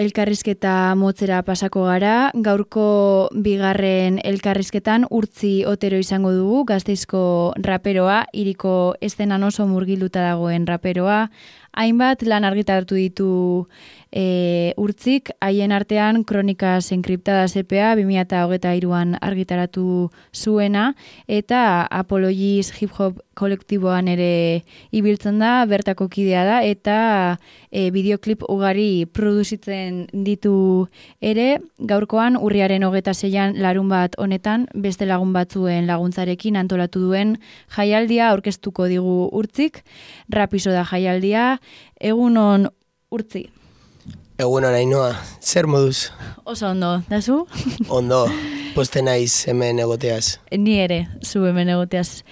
elkarrizketa motzera pasako gara. Gaurko bigarren elkarrizketan Urtzi Otero izango dugu, Gasteizko raperoa, hiriko eszenan oso murgilduta dagoen raperoa. Hainbat lan argitaratu ditu Urtzik, haien artean Kronikas Enkriptadas EPA 2023an argitaratu zuena, eta Apologies Hip Hop kolektiboan ere ibiltzen da, bertako kidea da, eta bideoklip ugari produzitzen ditu ere. Gaurkoan urriaren 26an larunbat honetan beste lagun batzuen laguntzarekin antolatu duen jaialdia aurkeztuko digu Urtzik. Rapiso da jaialdia. Egunon, Urtzi. Egunon, Ainhoa, zer moduz? Oso ondo, dazu? Ondo, poste naiz hemen egoteaz. Ni ere, zu hemen egoteaz.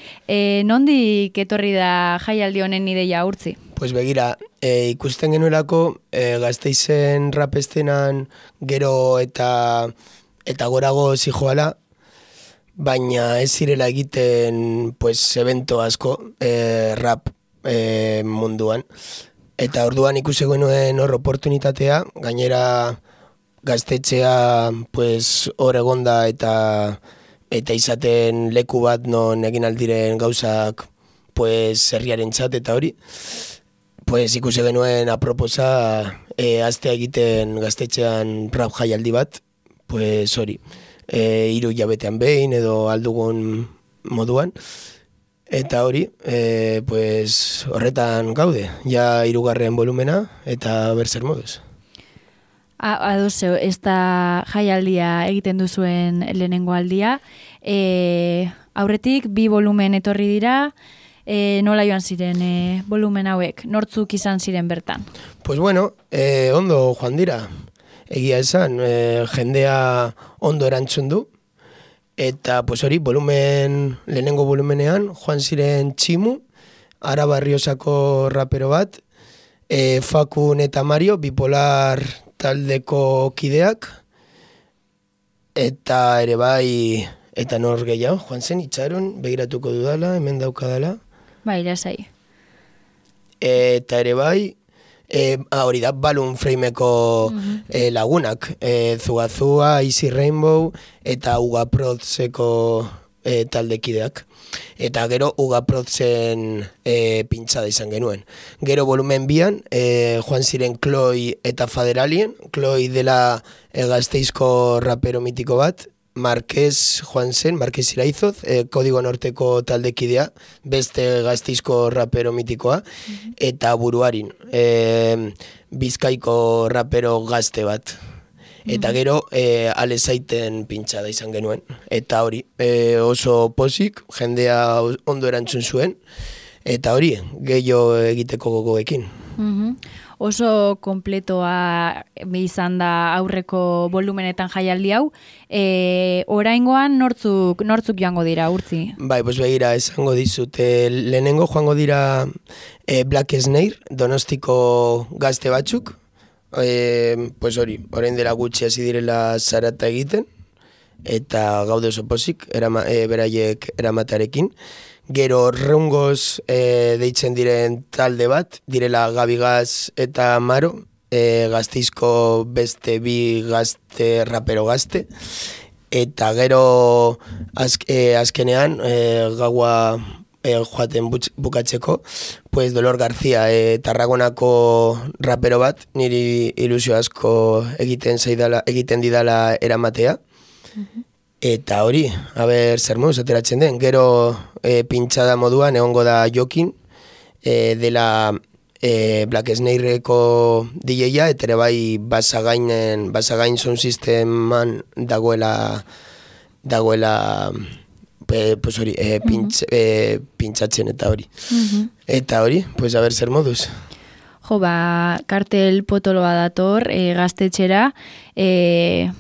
Nondik etorri da jaialdi honen ideia, Urtzi? Pues begira, ikusten genuelako Gasteizen rapestenan gero eta gorago zijoala, baina ez zirela egiten pues, evento asko rap munduan. Eta orduan ikusi genuen hor oportunitatea, gainera gaztetxea pues, hor egonda eta izaten leku bat non egin aldiren gauzak pues, herriarentzat eta hori. Pues, ikusi genuen aproposa astea egiten gaztetxean rap jaialdi bat, pues, hori, 3 hilabetean behin edo aldugun moduan. Eta hori, pues, horretan gaude, ja 3. volumena eta berzer moduz. Ados, ez da jaialdia egiten duzuen lehenengo aldia. Aurretik 2 volumen etorri dira, nola joan ziren volumen hauek, nortzuk izan ziren bertan? Pues bueno, ondo joan dira, egia esan, jendea ondo erantzun du. Eta pues hori, lehenengo volumenean, joan ziren Tximu, Araba Errioxako rapero bat, Fakun eta Mario, Bipolar taldeko kideak, eta ere bai, eta nor gehiago, joan zen, Itxaron, begiratuko dudala, hemen daukadala. Bai, lasai. Eta ere bai, hori da, Balloon Frameko lagunak, Zugazua, Easy Rainbow, eta Ugaprotzeko taldekideak. Eta gero Ugaprotzen pintxada izan genuen. Gero volumen 2an, joan ziren Chloe eta Faderalien, Chloe dela Gasteizko rapero mitiko bat, Marquez joan zen, Marquez Iraizoz, Kodigo Norteko taldekidea, beste Gasteizko rapero mitikoa, eta Buruarin, Bizkaiko rapero gazte bat. Eta gero Alezaiten pintxada izan genuen. Eta hori, oso pozik, jendea ondo erantzun zuen, eta hori, gehiago egiteko gogoekin. Oso kompletoa izan da aurreko volumenetan jaialdi hau. Oraingoan nortzuk joango dira, Urtzi? Bai, pues begira, esango dizut. Lehenengo joango dira Black Snare, Donostiko gazte batzuk. Pues hori, orain dela gutxi hasi direla zarata egiten, eta gaude oso pozik, beraiek eramatearekin. Gero Reungoz deitzen diren talde bat, direla Gabigaz eta Maro, Gasteizko beste 2 gazte, rapero gazte. Eta gero azkenean gaua joaten bukatzeko, pues Dolor García, Tarragonako rapero bat, niri ilusio asko egiten didala eramatea. Eta hori, zer moduz ateratzen den. Gero pintxada moduan egongo da Jokin, dela Black Snareko DJ-a, eta ere bai Basagain Sound Systeman dagoela pues hori, pintxatzen eta hori. Eta hori, pues zer moduz. Kartel potoloa dator gaztetxera,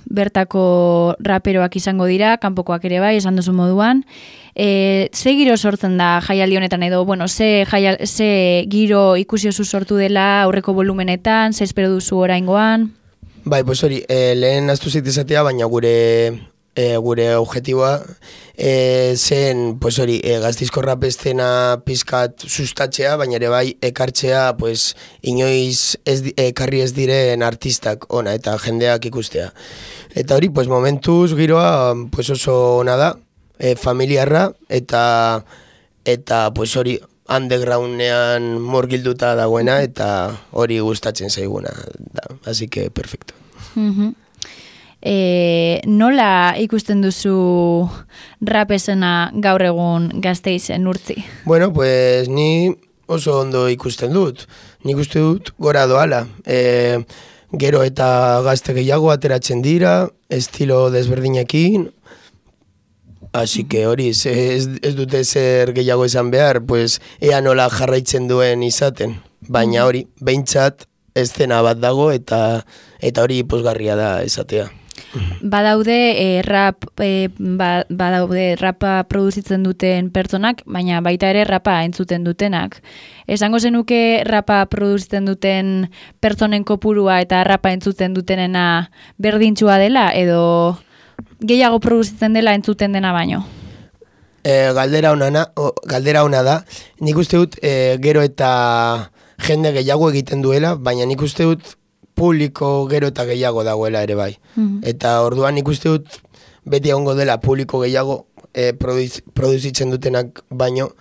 bertako raperoak izango dira, kanpokoak ere bai, esan duzu moduan. Ze giro sortzen da jaialdi honetan edo, ze giro ikusi oso sortu dela aurreko volumenetan, ze espero duzu oraingoan? Bai, pues hori, lehen aztu zaitezatea, baina gure gure objetiboa zen, pues hori, Gasteizko rap estena pizkat sustatzea, baina ere bai ekartzea, pues, inoiz ekarri ez diren artistak ona eta jendeak ikustea. Eta hori, pues, momentuz giroa, pues, oso ona da, familiarra, eta pues, hori, undergroundean murgilduta dagoena, eta hori gustatzen zaiguna da. Así que, perfecto. Nola ikusten duzu rap esena gaur egun Gasteizen Urtzi? Bueno, pues ni oso ondo ikusten dut. Nik uste dut gora doala. Gero eta gazte gehiago ateratzen dira, estilo desberdinekin, así que hori, ez dute zer gehiago esan behar, pues ea nola jarraitzen duen izaten. Baina hori, behintzat eszena bat dago eta hori pozgarria da esatea. Badaude rapa produzitzen duten pertsonak, baina baita ere rapa entzuten dutenak. Esango zenuke rapa produzitzen duten pertsonen kopurua eta rapa entzuten dutenena berdintxua dela, edo gehiago produzitzen dela entzuten dena baino? Galdera ona da. Nik uste dut gero eta jende gehiago egiten duela, baina nik uste dut publiko gero eta gehiago dagoela ere bai. Eta orduan nik uste dut beti egongo dela publiko gehiago produzitzen dutenak baino,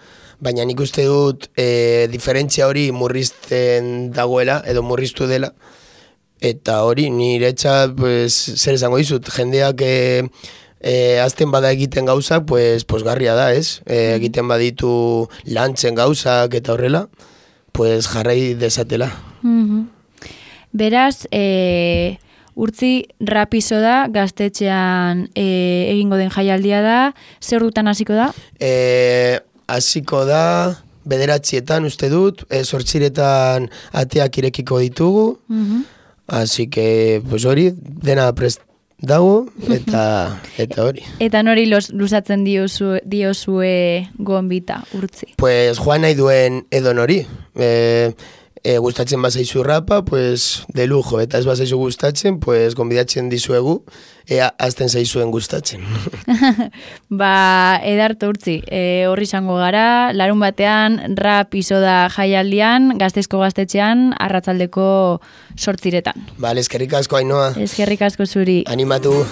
baina nik uste dut diferentzia hori murrizten dagoela edo murriztu dela. Eta hori niretzat, pues, zer esango dizut, jendeak azten bada egiten gauzak, pues garria da, ez? Egiten baditu lantzen gauzak eta horrela, pues jarrai desatela. Beraz, Urtzi rapizo da, Gaztetxean egingo den jaialdia da, zer dutan hasiko da? Hasiko da, 9:00 uste dut, 8:00 ateak irekiko ditugu, así que, pues hori, dena prest dago, eta hori. Eta nori luzatzen diozue gonbita, Urtzi? Pues joan nahi duen edo nori. Gustatzen bazaizu rapa, pues de lujo, eta ez bazaizu gustatzen, pues gonbidatzen dizuegu, ea azten zaizuen gustatzen. Edarto Urtzi, horri izango gara, larun batean rap izoda jaialdian, Gasteizko Gaztetxean, arratsaldeko 8:00. Bale, eskerrik asko, Ainhoa. Eskerrik asko zuri. Animatu.